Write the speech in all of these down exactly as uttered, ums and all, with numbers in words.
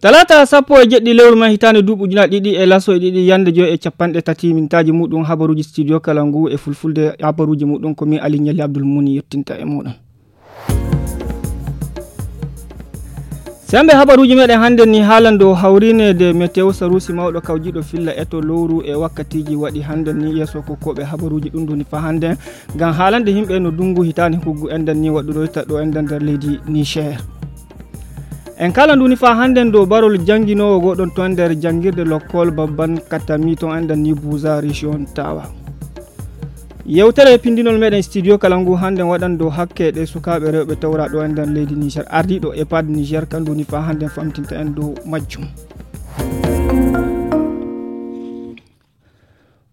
Talaata sappo e jeɗɗi lewru mai hitaande duuɓi ujunaaji ɗiɗi e laso e ɗiɗi, yande joy e capanɗe tati mintaaji muɗum. Habaruuji studio kala ngu e fulfulde, habaruuji muɗum ko min Ali Ñalli Abdul Muni yettinta e muɗum. Sembe habaruuji meɗen hannde ni haalande o hawrineede météo saruusi mawɗo kawjiɗo filla eto lowru e wakkatiiji waɗi hannde ni yeeso ko koɓe habaruuji ɗum duni fa hannde ngam haalande yimɓe no dungu hitaande huggu enɗan ni waɗuroyta ɗo enɗan nder leydi Niger. En kala nduni fa hannde dow barol jannginoowo goɗon to nder janngirde lokkol babban katami to enɗan ni buza région tawa. Yewtere pindinol meɗen studio kala ngu hannde waɗan dow hakke ɗe sukaaɓe rewɓe tawra ɗo e nder leydi Niger. Ardiiɗo epad Niger kandu ni fa hannde famtinta en dow majjum.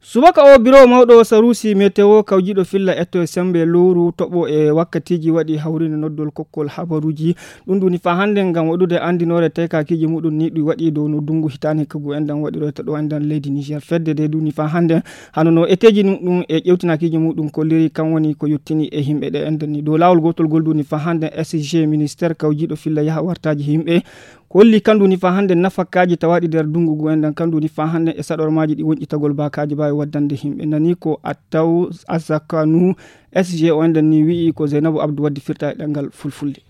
Subaka o biro mawɗo saruusi météo kawjiɗo filla etto e sembe lowru toɓo e wakkatiiji waɗi hawrinde noddol kokkol habaruuji. Ɗum ɗuni fa hannde ngam waɗude anndinoore tekakiiji muɗum ni ɗi waɗi dow no dungu hitaani kagu enɗan waɗiroyta ɗo enɗan leydi Niger. Fedde de duni fa hannde hano no eteeji muɗum e ƴewtinakiiji muɗum kolliri kan woni ko yottini e yimɓe ɗe enɗan ni. Dow laawol gootol gol duni fa hannde S G ministère kawjiɗo filla yaha wartaaji yimɓe holli kan duni fa hannde nafakaaji tawaaɗi nder dungu ngu enɗan kan duni fa hannde e saɗormaaji ɗi wonƴitagol baakaaji baawi waddande yimɓe. Nani ko Attaw Asakanu S G o enɗan ni wi'i ko Zainabu Abdou waddi firta e ɗanngal fulfulde.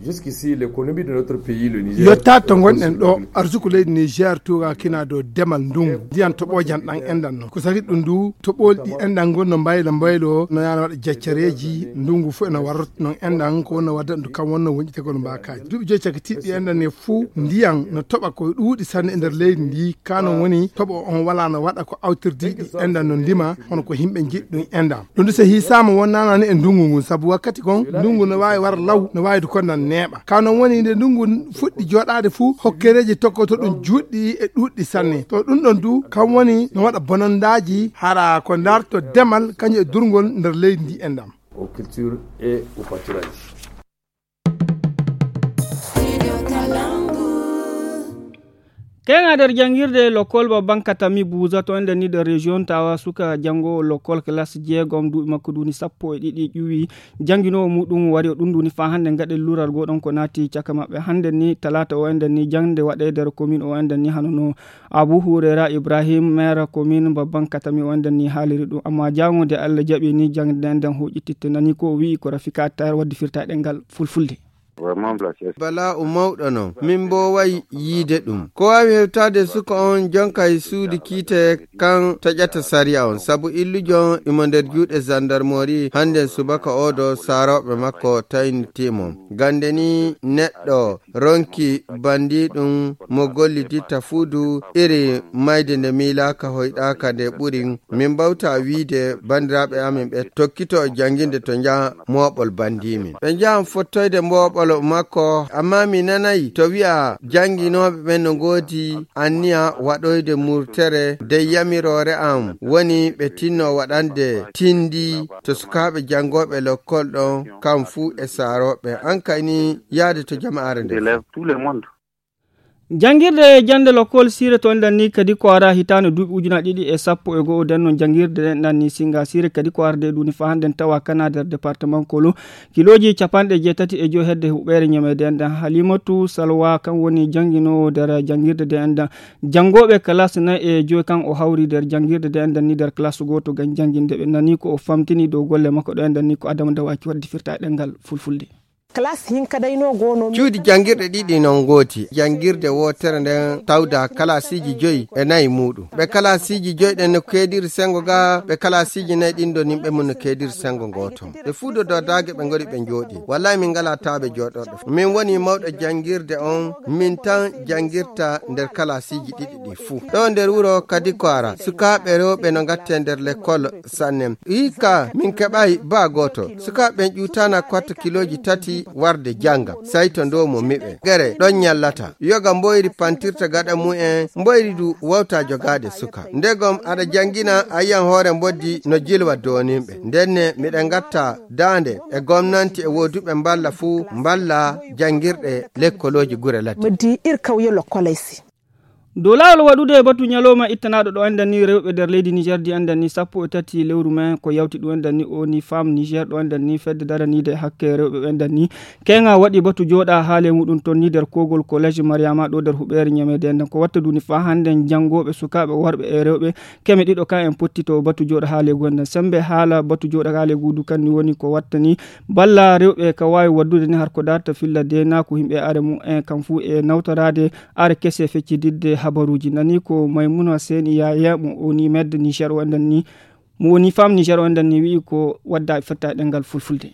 Jusqu'ici, l'économie de notre pays, le Niger, yottaade to ngonɗen ɗo, arsuku leydi Niger tuugakina dow demal ndungu ndiyan toɓojan ɗan enɗan noon. Ko sari ɗum ndu toɓoli ɗi enɗan ngon no mbaylo mbaylo, no yaana waɗa jaccareeji, ndungu fof ena warrota noon enɗan, ko wonno wadda ɗum kam wonno wonƴitegol mbaakaaji. Duuɓi joyi cakitiiɗi enɗan e fuu ndiyan no toɓa ko ɗuuɗi sanne e nder leydi ndi, ka noon woni toɓo on walaa no waɗa ko awtirdiiɗi enɗan no ndima, hono ko yimɓe njiɗi ɗum enɗan. Ɗum ndu so hiisaama wonnaanaani e ndungu ngun, sabu wakkati kon ndungu no waawi wara law, no waawi du konnan neeɓa. Ka noon woni nde ndungu fuɗɗi jooɗaade fuu, hokkereeji tokkoto ɗum juutɗi e ɗuuɗɗi sanne. To ɗum ɗon du, kam woni no waɗa bonondaaji, hara ko ndaarto demal, kañum e durngol nder leydi ndi enɗan. Aux cultures et au pâturage. Keŋa nder janngirde lokkol babban katami buuza to nder ni nder région tawa suka janngo lokkol classe jeegom duuɓi makko duni sappo e ɗiɗi ƴuwi jannginoowo muɗum wari o ɗum duni fa hannde ngaɗe lural goɗon ko naati caka maɓɓe hannde ni talaata o ender ni jannde waɗe nder commune o ender ni hano no Abu Hurera Ibrahim, maire commune babban katami o ender ni haaliri ɗum. Amma jaŋo nde Allah jaɓi ni jannde nden huƴititte nani ko o wi'i ko Rafika Attar waddi firta ɗengal fulfulde. Vraiment, la caisse. Bala'u mawɗo non, min mbooway yiide ɗum. Ko waawi hewtaade suka on jonka e suudu kiite kan taƴata sariya on, sabu illujo on imo nder juuɗe zandarmori. Hannden subaka oo ɗo saarooɓe makko tayniti mo. Gannde ni neɗɗo ronki bandiiɗum mo golliditta fuu du iri mayde nde miilaaka hoyɗaaka nde ɓuri. Min mbawta wiide banndiraaɓe amin ɓe tokkito jannginde to njaha mooɓol bandiimin. Ɓe njahan fottoyde mooɓol makko, ammaa mi nanayi to wi'a jannginooɓe ɓen no ngoodi anniya waɗoyde murtere. Dey yamiroore am woni ɓe tinno waɗande tindi to sukaaɓe janngooɓe lokkol ɗon, kam fuu e saarooɓe. An kay ni yaade to jama'aare nde. Des élèves, tout le monde. Janngirde jannde lokkol siire to enɗan ni kadi ko ara hitaande duuɓi ujunaaji ɗiɗi e sappo e go'o. Nden non janngirde ɗen ɗan ni singa siire kadi ko arde ɗuni fa hannden tawa kana nder département Kolo. Kilooji capanɗe jeetati e joy hedde huɓeere ñameede enɗan. Halimatu Salwa kan woni jannginoowo nder janngirde nde enɗan. Janngooɓe classe nayi e joy kan o hawri nder janngirde nde enɗan ni nder classe gooto ngam jannginde ɓe. Nani ko o famtini dow golle makko ɗo enɗan ni ko Adama Dawaki waddi firta e ɗemngal fulfulde. Classe hinka dayno gono. Cuuɗi janngirɗe ɗiɗi non ngooti. Janngirde wootere nden tawda kalaasiiji joyi e nayi muuɗum. Ɓe kalaasiiji joyi ɗen no keediri senngo ga, ɓe kalaasiiji nayi ɗin ɗon yimɓe mum no keediri senngo ngooto. Ɓe fuu do dadaage ɓe ngori ɓe njooɗi. Wallahi min ngalaa taaɓe jooɗorɗe. Min woni mawɗo janngirde on, min tan janngirta nder kalaasiiji ɗiɗi ɗi fuu. Ɗo nder wuro Kadikwara, sukaaɓe rewɓe no ngatte nder lekkol sanne. Hikka min keɓaay baa gooto. Sukaaɓe ɓen ƴuutaana kwatta kilooji tati warde jannga. Say to ndoomo miɓe. Gere ɗon ñallata. Yoga mboyri pantirta gaɗa mumen, mboyri du wawta jogaade suka. Ndegom aɗa janngina a yiyan hoore mboddi no jilwa doonimɓe. Ndenne miɗa ngatta daande e gomnanti e wooduɓe mballa fuu mballa janngirɗe lekkolooji gure ladde. Meddi ir kawye lokkolay si. Dow laawol waɗude batu ñalawma ittanaaɗo ɗo enɗan ni rewɓe nder leydi Niger di enɗan ni sappo e tati lewru mai ko yawti ɗum enɗan ni o ni femme Niger ɗo enɗan ni fedde daraniide hakke rewɓe ɓe enɗan ni keŋa waɗi batu jooɗa haale muɗum ton ni nder kogol collège Mariama ɗo nder huɓeere ñameede enɗan ko watta duni faa hannde janngooɓe sukaaɓe worɓe e rewɓe keme ɗiɗo kan en potti to batu jooɗa haale gu enɗan sembe haala batu jooɗa haale gu du kan ni woni ko watta ni balla rewɓe ka waawi waddude ni har ko darta filla de na ko yimɓe are mum en kam fuu e nawtoraade are kese feccidiɗde habaruuji nani ko Maymuna Seni Yaya mo woni medde Niger o enɗan ni mo woni femme Niger o enɗan ni wi'i ko wadda e fetta e ɗemngal fulfulde.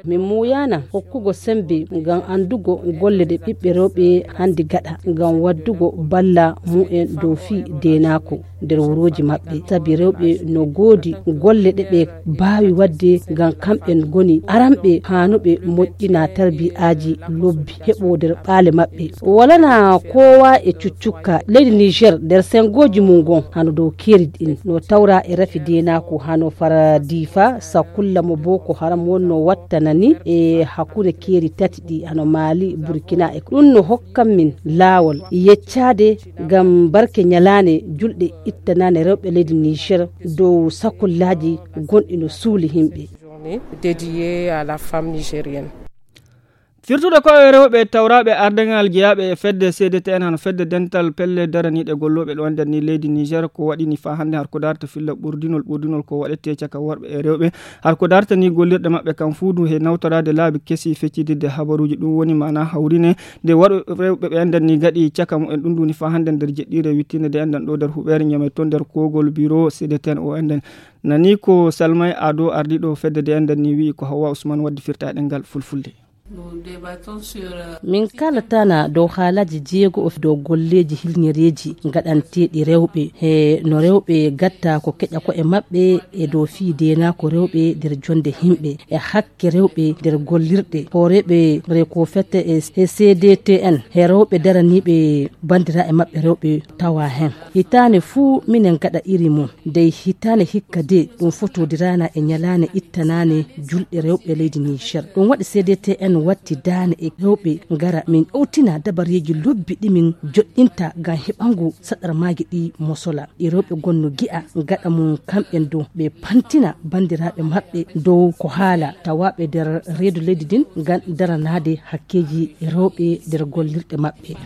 Min muuyana hokkugo sembe ngam anndugo golle ɗe ɓiɓɓe rewɓe hannde gaɗa ngam waddugo balla mu'en dow fii deenaako nder wurooji maɓɓe sabi rewɓe no goodi golle ɗe ɓe baawi waɗde ngam kamɓe ngoni aranɓe haanuɓe moƴƴina tarbi'aaji lobbi heɓo nder ɓaale maɓɓe. Walana kowa e cuccukka leydi Niger nder sengooji mum ngon hano dow keeri ɗin no tawra e rafi deenaako hano fara Diifa, Sakulla mo Boko Haram wonno wattana ni e hakkunde keeri tati ɗi hano Mali, Burkina e ɗum no hokkan min laawol yeccaade ngam barke ñalaande julɗe ittanaande rewɓe leydi Niger dow sakullaaji gonɗi no suuli yimɓe. Journée dédiée à la femme nigérienne. Firtude ko e rewɓe tawraaɓe ardaŋal jeyaaɓe e fedde C D T N hano fedde dental pelle daraniiɗe gollooɓe ɗo nder ni leydi Niger ko waɗi ni faa hannde har ko darta filla ɓurdinol ɓurdinol ko waɗete caka worɓe e rewɓe har ko darta ni gollirɗe maɓɓe kam fuudu he nawtoraade laabi kesi feccidirde habaruuji ɗum woni maana hawrine nde waɗo rewɓe ɓe nder ni gaɗi caka mumen ɗum duni faa hannde nder jeɗɗiire wittinde de enɗan ɗo nder huɓeere ñame to nder kogol biro C D T N o enɗan nani ko Salmay Ado ardiiɗo fedde de enɗan ni wi'i ko Hawwa Usman waddi firta e ɗemngal fulfulde. Min kalatana dow haalaaji jeego o dow golleeji hilñereeji gaɗanteeɗi rewɓe he no rewɓe gatta ko keƴa ko'e maɓɓe e dow fii deenaako rewɓe nder jonde yimɓe e hakke rewɓe nder gollirɗe hooreeɓe reko fette e C D T N he rewɓe daraniiɓe banndiraaɓe maɓɓe rewɓe tawa heen. Hitaande fuu minen gaɗa iri mum dey hitaande hikka de ɗum fotodiraana e ñalaande ittanaande julɗe rewɓe leydi Niger. Ɗum waɗi C D T N watti daane e rewɓe ngara min ɗowtina dabareeji lobbi ɗi min joɗɗinta ngam heɓango saɗarmaaji ɗi mosola. Ɗi rewɓe gonno gi'a gaɗa mum kamɓen dow ɓe pantina banndiraaɓe maɓɓe dow ko haala tawaaɓe nder reedu leydi ndin ngam daranaade hakkeeji rewɓe nder gollirɗe maɓɓe.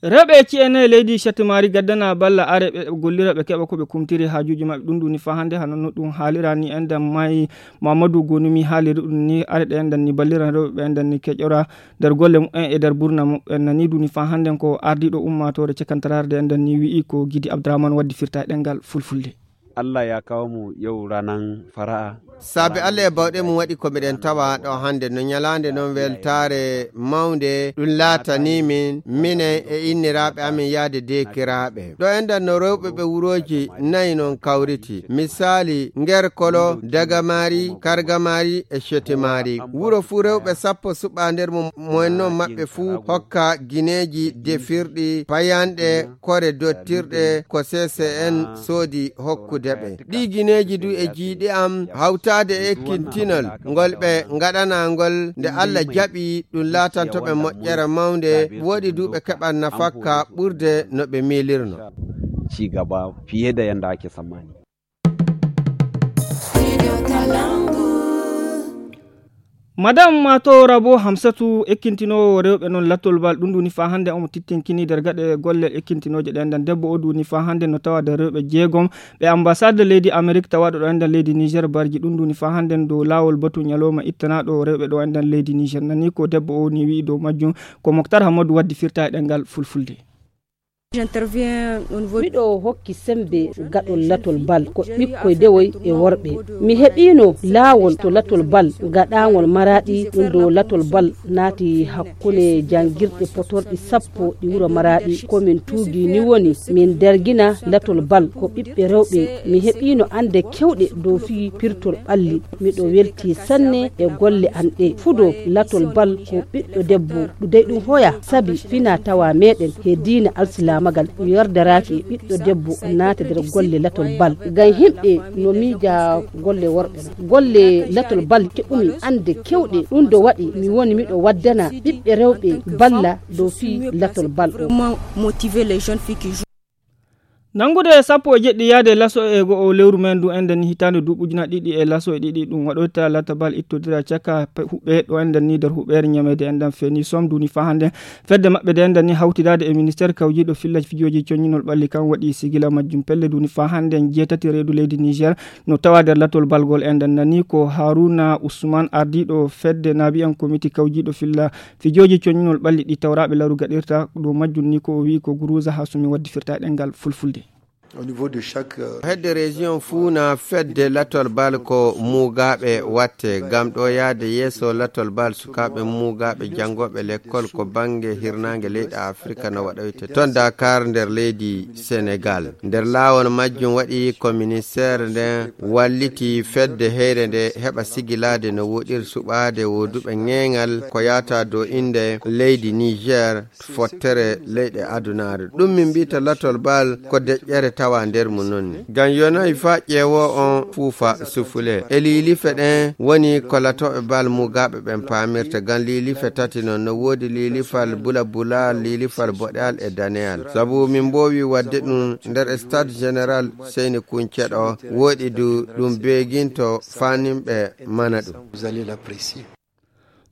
Rewɓe e ci'e nayi leydi Cettimaari gaddana balla are ɓe gollira ɓe keɓa ko ɓe kumtiri haajuuji maɓɓe ɗum ɗum ni faa hannde hano no ɗum haalira ni enɗan maayi Mamadou Gonumi haaliri ɗum ni are ɗe enɗan ni balliran rewɓe ɓe enɗan ni keƴora nder golle mumen e nder burna mumen nani ɗum ni faa hannden ko ardiiɗo ummaatoore cakantaraare de enɗan ni wi'i ko Gidi Abdourahmane waddi firta e ɗemngal fulfulde. Allah ya kawo mu yau ranan fara'a. Saabe Allah e bawɗe mum waɗi ko miɗen tawa ɗo hannde no ñalaande noon weltaare mawnde ɗum laatanii min minen e inniraaɓe amin yahde deekiraaɓe ɗo enɗan no rewɓe ɓe wurooji nayi noon kawriti misaali nger kolo dagamaari kargamaari e cetimaari wuro fuu rewɓe sappo suɓaa nder mum mo en noon maɓɓe fuu hokka gineeji defirɗi payanɗe kore dottirɗe ko C C N soodi hokkude ɓe. Ɗii gineeji du e jiyɗe am hawtaade e ekkintinol ngol ɓe ngaɗanaa ngol nde Alla jaɓi ɗum laatanto ɓe moƴƴere mawnde, woodi du ɓe keɓat nafakka ɓurde no ɓe miilirno. Madame Mato Rabo Hamsatu ekkintinoowo rewɓe noon lattol bal ɗum ɗum ni faa hannde omo tittinkini nder gaɗe golle ekkintinooje ɗen nden debbo o ɗum ni faa hannde no tawa nder rewɓe jeegom ɓe ambassade leydi Amerik tawaɗo ɗo enden leydi Niger barji ɗum ɗum ni faa hannde dow laawol batu ñalawma ittanaɗo rewɓe ɗo enden leydi Niger nani ko debbo o ni wi'i dow majjum ko Moktar Hammadu waddi firta e ɗemngal fulfulde. Miɗo hokki sembe gaɗol latol bal ko ɓikkoy dewoy e worɓe. Mi heɓiino laawol to latol bal gaɗaangol Maraɗi ɗum ɗo latol bal naati hakkunde janngirɗe potorɗi sappo ɗi wuro Maraɗi. Ko min tuugi ni woni min dergina latol bal ko ɓiɓɓe rewɓe. Mi heɓiino annde kewɗe dow fii pirtol ɓalli. Miɗo weltii sanne e golle an ɗe. Fudo latol bal ko ɓiɗɗo debbo ɗudey ɗum hoya sabi fina tawa meɗen he diina alsilaam. Magal mi yardaraaki e ɓiɗɗo debbo naata nder golle latol bal. Ngam yimɓe no miija golle worɓe na. Golle latol bal keɓumi annde kewɗe. Ɗum ɗo waɗi mi woni miɗo waddana ɓiɓɓe rewɓe balla dow fii latol bal o. Nanngude e sappo e jeɗɗi yaade laso e go'o lewru men ndu enɗen ni hitaande duuɓi ujunaaji ɗiɗi e laso e ɗiɗi ɗum waɗoyta latabal ittodira caka pe-, huɓɓe ɗo enɗen ni nder huɓɓeere ñameede enɗen feni som duni faa hannde. Fedde maɓɓe nde enɗen ni hawtidaade e ministeer kawjiiɗo filla fijooji coññinol ɓalli kan waɗi sigila majjum pelle duni faa hannde jeetati reedu leydi Niger no tawa nder latol balgol enɗen nani ko Haruna Usman ardiiɗo fedde naabi en komiti kawjiiɗo filla fijooji coññinol ɓalli ɗi tawraaɓe laru gaɗirta ɗo majjum ni ko o wi'i ko Guruza Hasumi waddi firta e ɗemngal fulfulde. Au niveau de chaque, euh, Hedde région fuu na fedde latol bal ko muugaaɓe watte. Ngam ɗo yahde yeeso latol bal sukaaɓe muugaaɓe janngooɓe lekkol ko bannge hirnaange leyɗe Afrika no waɗoyte. Toon Dakar nder leydi Senegal. Nder laawol majjum waɗi ko ministeer nden walliti fedde heyre nde heɓa sigilaade no woɗiri suɓaade woduɓe ŋeeŋal ko yahata dow innde leydi Niger fottere leyɗe adunaare. Ɗum min mbiyta latol bal ko deƴƴere tawa nder mum noon ni. Ngam yonayi faa ƴeewo on fuufa sufule. E liilife ɗen woni ko latooɓe bal mugaaɓe ɓen paamirta. Ngam liilife tati noon no woodi liilifal bula bula, liilifal boɗeyal e daneyal. Sabu min mboowi waɗde ɗum nder stade général Seyni Kunce ɗo. Woɗi du ɗum beeginto faa nimɓe mana ɗum.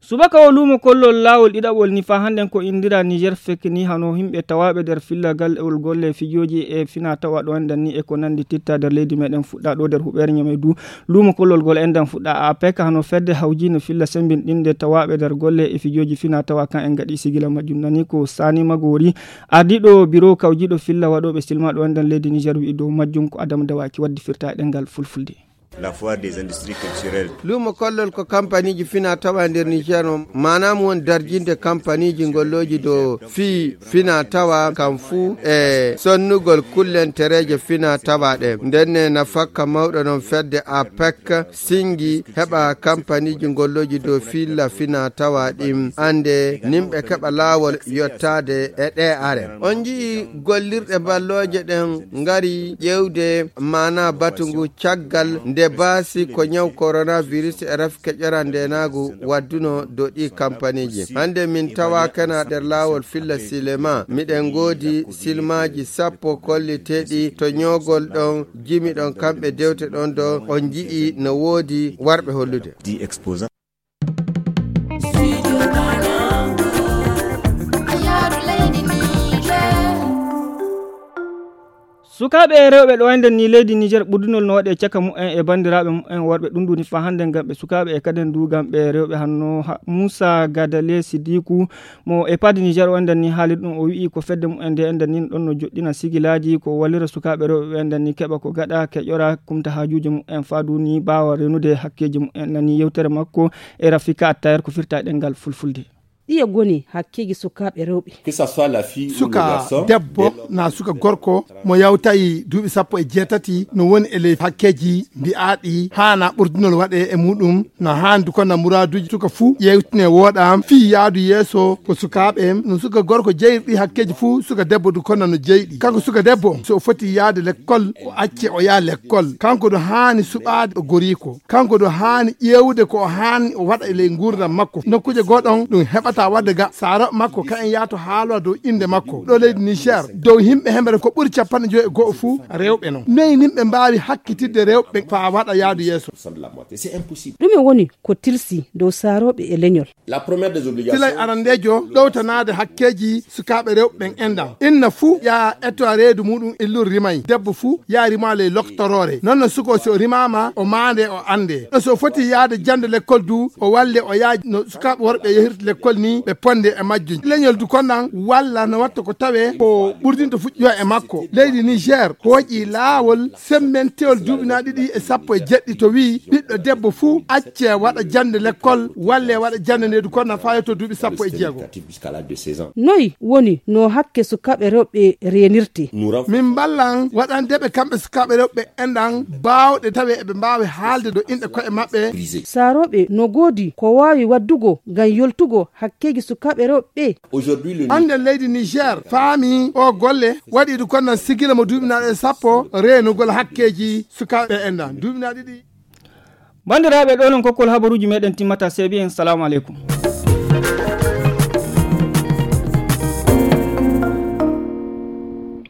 Subaka o luumo kollol laawol ɗiɗaɓol ni faa hannden ko inndiraa Niger fek ni hano yimɓe tawaaɓe nder fillagal ol golle fijooji e fina tawa ɗo enɗen ni e ko nanndi titta nder leydi meɗen fuɗɗaa ɗo nder huɓeere ñame du. Luumo kollol gol enɗen fuɗɗaa A P E C hano fedde hawjiino filla semmbinɗinde tawaaɓe nder golle e fijooji fina tawa kan en gaɗi sigila majjum nani ko Sani Magori ardiiɗo biro kawjiiɗo filla waɗooɓe silma ɗo enɗen leydi Niger wi'i dow majjum ko Adama Dawaki waddi firta e ɗemngal fulfulde. La foire des industries culturelles. Luumo kollol ko kampaniiji fina tawa nder Niger o, maanaam won darjinde kampaniiji ngollooji dow fii fina tawa kam fuu e sonnugol kullentereeje fina tawa ɗe. Ndenne nafakka mawɗo non fedde A P E C singi heɓa kampaniiji ngollooji dow filla fina tawa ɗin annde nimɓe keɓa laawol yottaade e ɗe are. On nji'i gollirɗe ballooje ɗen ngari ƴeewde maanaa batu ngu caggal nde baasi ko ñaw coronavirus e rafi keƴoral ndeenaagu wadduno dow ɗii kampaniiji. Hannde min tawaakana nder laawol filla silema. Miɗen ngoodi silmaaji sappo kolliteeɗi to ñoogol ɗon, jimi ɗon kamɓe dewte ɗon ɗo on nji'i no woodi warɓe hollude. Sukaaɓe e rewɓe ɗo enɗen ni leydi Niger ɓurdunol no waɗe caka mumen e banndiraaɓe mumen worɓe ɗum ɗuni faa hannde ngam ɓe sukaaɓe e kaden du ngam ɓe rewɓe hanno ha-, Moussa Gadale Sidiku mo e paadi Niger o enɗen ni haalir ɗum o wi'i ko fedde mumen nde enɗen ni ɗon no joɗɗina sigilaaji ko wallira sukaaɓe rewɓe ɓe enɗen ni keɓa ko gaɗa keƴora kumta haajuuji mumen faa du ni ɓaawa renude hakkeeji mumen nani yewtere makko e Rafika Attayer ko firta e ɗemngal fulfulde. Ɗiye ngoni hakkeeji sukaaɓe rewɓe? Suka debbo naa suka gorko mo yawtayi duuɓi sappo e jeetati no woni e ley hakkeeji mbi'aaɗi haana ɓurdunol waɗe e muɗum no haandi ko na muraaduuji suka fuu yewtine wooɗa fii yaadu yeeso ko sukaaɓe no suka gorko jeyri ɗi hakkeeji fuu suka debbo du kono no jeyɗi. Kanko suka debbo so o foti yaade lekkol o acce o yaha lekkol. Kanko no haani suɓaade o goriiko. Kanko no haani ƴeewude ko o haani o waɗa e ley nguurndam makko. Nokkuuje goo ɗon ɗum heɓata waɗde ga saarooɓe makko kayen yahto haaloo dow innde makko. Ɗo leydi Niger dow yimɓe hemere ko ɓuri capanɗe joyi e go'o fuu rewɓe non. Noy yimɓe mbaawi hakkitidde rewɓe faa waɗa yaadu yeeso? Ɗume woni ko tilsi dow saarooɓe e leñol? Silay arandeejo ɗowtanaade hakkeeji sukaaɓe rewɓe ɓen enɗan. Inna fuu yaa ettowa reedu muɗum illuru rimay. Debbo fuu yaa rima ley loktoroore. Non no suko si o rimaama o maande o annde. No so foti yaade jannde lekkol du o walle o yaa no sukaaɓe worɓe yahirta lekkol ni ɓe ponde e majjum. Leñol du kon ɗan walla no watta ko tawee ko ɓurdinta fuɗɗo e makko. Leydi Niger hooƴi laawol semmentewol duuɓi na ɗiɗi e sappo e jeɗɗi to wi'i ɓiɗɗo debbo fuu acce waɗa jannde lekkol walle waɗa jannde nde du kono na faayo to duuɓi sappo e jeego. Noy woni no hakke sukaaɓe rewɓe reenirte? Min mballan waɗande ɓe kamɓe sukaaɓe rewɓe enɗan baawɗe tawe eɓe mbaawi haalde dow inɗe ko'e maɓɓe. Saarooɓe no goodi ko waawi waddugo ngam yoltugo hakkeeji sukaaɓe rewɓe ɓe. Annden leydi Niger faami o Alle waɗi ɗum konnan sigila mo duuɓinaaɗo e sappo reenugol hakkeeji sukaaɓe en nan duuɓinaaɗo ɗiɗi. Banndiraaɓe, ɗo non kokkol habaruuji meɗen timmata. Seebi en, salamu aleykum.